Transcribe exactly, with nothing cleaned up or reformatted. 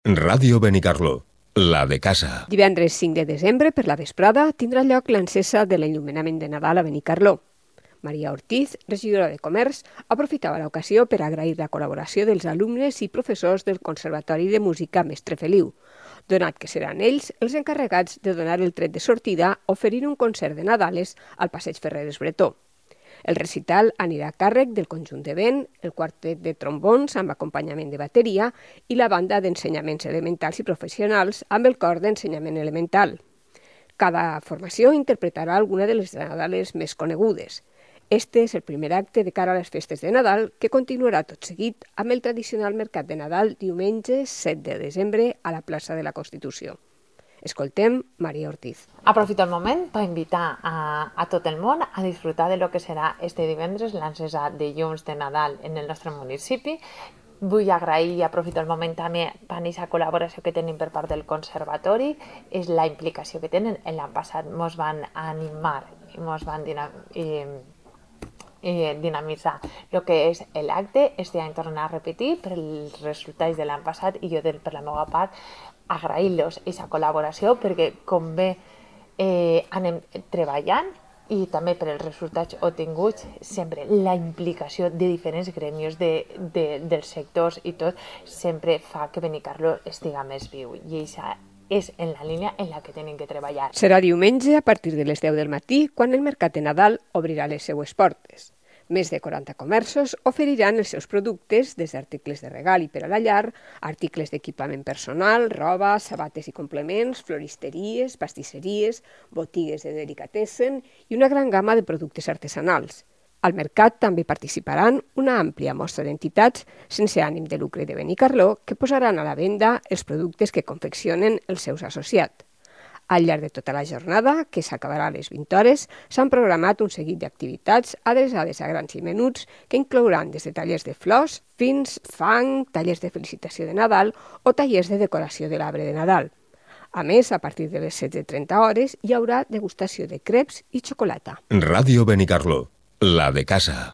Ràdio Benicarló, la de casa. Divendres cinc de desembre, per la vesprada, tindrà lloc l'encesa de l'enllumenament de Nadal a Benicarló. Maria Ortiz, regidora de Comerç, aprofitava l'ocasió per agrair la col·laboració dels alumnes i professors del Conservatori de Música Mestre Feliu, donat que seran ells els encarregats de donar el tret de sortida oferint un concert de Nadales al Passeig Ferreres Bretó. El recital anirà a càrrec del conjunt de vent, el quartet de trombons amb acompanyament de bateria i la banda d'ensenyaments elementals i professionals amb el cor d'ensenyament elemental. Cada formació interpretarà alguna de les Nadales més conegudes. Este és el primer acte de cara a les festes de Nadal, que continuarà tot seguit amb el tradicional mercat de Nadal diumenge set de desembre a la plaça de la Constitució. Escoltem Maria Ortiz. Aprofito el moment per invitar a, a tot el món a disfrutar de lo que serà este divendres l'encesa de llums de Nadal en el nostre municipi. Vull agrair i aprofito el moment també per aquesta col·laboració que tenim per part del Conservatori, és la implicació que tenen. L'any passat ens van animar i ens van dinam i, i dinamitzar el que és l'acte. Este any tornar a repetir per els resultats de l'any passat i jo per la meva part agrair-los aquesta col·laboració perquè com bé eh, anem treballant i també per els resultats obtinguts, sempre la implicació de diferents gremis de, de, dels sectors i tot sempre fa que Benicarló estiga més viu i això és en la línia en la que tenen que treballar. Serà diumenge a partir de les deu del matí quan el mercat de Nadal obrirà les seues portes. Més de quaranta comerços oferiran els seus productes, des d'articles de regal i per a la llar, articles d'equipament personal, roba, sabates i complements, floristeries, pastisseries, botigues de delicatessen i una gran gamma de productes artesanals. Al mercat també participaran una àmplia mostra d'entitats sense ànim de lucre de Benicarló que posaran a la venda els productes que confeccionen els seus associats. Al llarg de tota la jornada, que s'acabarà a les vint hores, s'han programat un seguit d'activitats adreçades a grans i menuts que inclouran des de tallers de flors fins fang, tallers de felicitació de Nadal o tallers de decoració de l'arbre de Nadal. A més, a partir de les setze trenta hores hi haurà degustació de creps i xocolata. Ràdio Benicarló, la de casa.